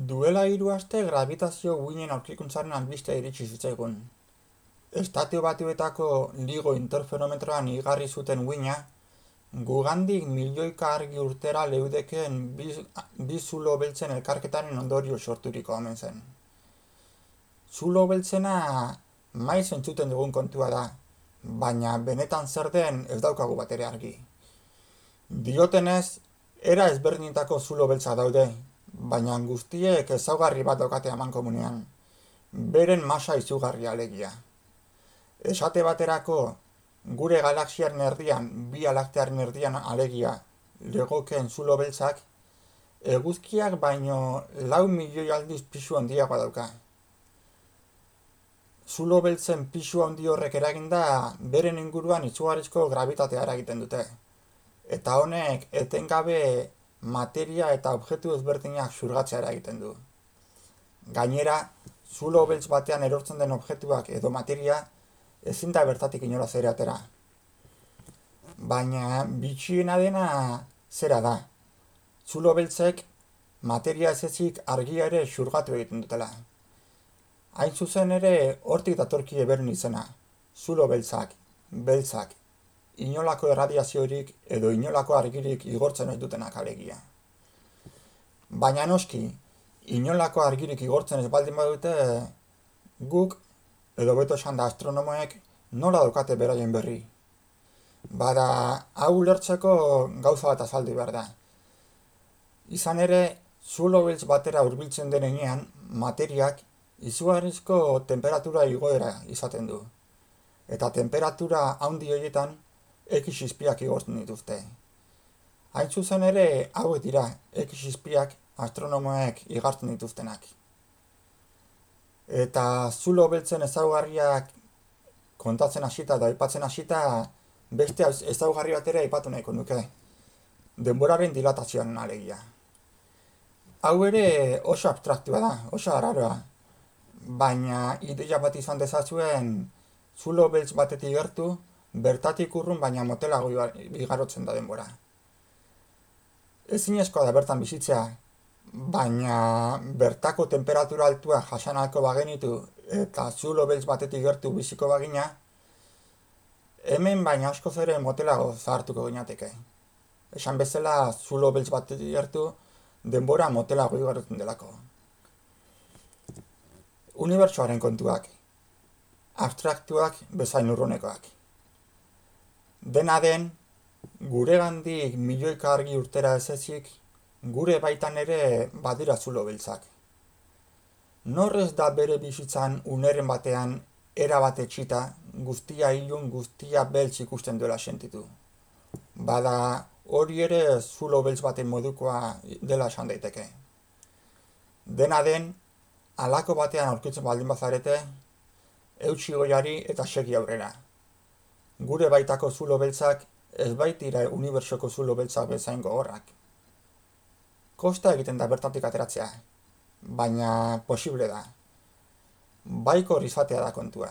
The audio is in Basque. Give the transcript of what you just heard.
Duela 3 aste grabitazio guinen aurkikuntzaren albistea iritsi zitzaigun. Estatu Batuetako LIGO interferometroan igarri zuten guina, gugandik milioika argi urtera leudekeen bi zulo beltzen elkarketaren ondorio sorturiko omen zen. Zulo beltzena maiz entzuten dugun kontua da, baina benetan zer den ez daukagu batere argi. Diotenez, era ezberdinetako zulo beltza daude, baina guztiek ezaugarri bat daukate amankomunean, beren masa izugarria alegia. Esate baterako, gure galaxiaren erdian, bi alaktearen erdian alegia, legokeen zulo beltzak, eguzkiak baino 4 milioi aldiz pisu handiagoa dauka. Zulo beltzen pisu handi horrek eraginda, beren inguruan izugarrizko gravitatea eragiten dute. Eta honek etengabe materia eta objektu ezberdinak xurgatzea eragiten du. Gainera, zulo beltz batean erortzen den objektuak edo materia ezin da bertatik inolaz ere atera. Baina bitxiena dena zera da. Zulo beltzek materia ez ezik argia ere xurgatu egiten dutela. Hain zuzen ere hortik datorkie beren izena, zulo beltzak, inolako erradiaziorik edo inolako argirik igortzen ez dutenak alegia. Baina noski, inolako argirik igortzen ez baldin badute, guk, edo beto esan da astronomoek, nola daukate beraien berri. Bada, hau ulertzeko gauza bat azaldu behar da. Izan ere, zulo beltz batera hurbiltzen denean, materiak izugarrizko temperatura igoera izaten du. Eta temperatura handi horietan, X izpiak igortzen dituzte. Hain zuzen ere, hauek dira X izpiak astronomoek igartzen dituztenak. Eta zulo beltzen ezaugarriak kontatzen hasita eta aipatzen hasita, beste ezaugarri bat ere aipatu nahiko nuke. Denboraren dilatazioaren alegia. Hau ere oso abstraktua da, oso araroa. Baina ideia bat izan dezazuen zulo beltz batetik gertu, bertatik urrun baina motelago igarotzen da denbora. Ezinezkoa da bertan bizitzea, baina bertako temperatura altua jasanalko bagenitu eta zulo beltz batetik gertu biziko bagina, hemen baina askoz ere motelago zahartuko ginateke. Esan bezala zulo beltz batetik gertu denbora motelago igarotzen delako. Unibertsoaren kontuak, abstraktuak bezain urrunekoak. Dena den, guregandik milioika argi urtera ez ezik, gure baitan ere badira zulo beltzak. Norrez da bere bizitzan uneren batean erabat etxita, guztia ilun, guztia beltz ikusten duela sentitu. Bada hori ere zulo beltz baten modukoa dela esan daiteke. Dena den, halako batean aurkitzen baldin bazarete, eutsi goiari eta segi aurrera. Gure baitako zulo beltzak ez baitira unibertsoko zulo beltzak bezain gogorrak. Kosta egiten da bertatik ateratzea, baina posible da. Baikor izatea da kontua.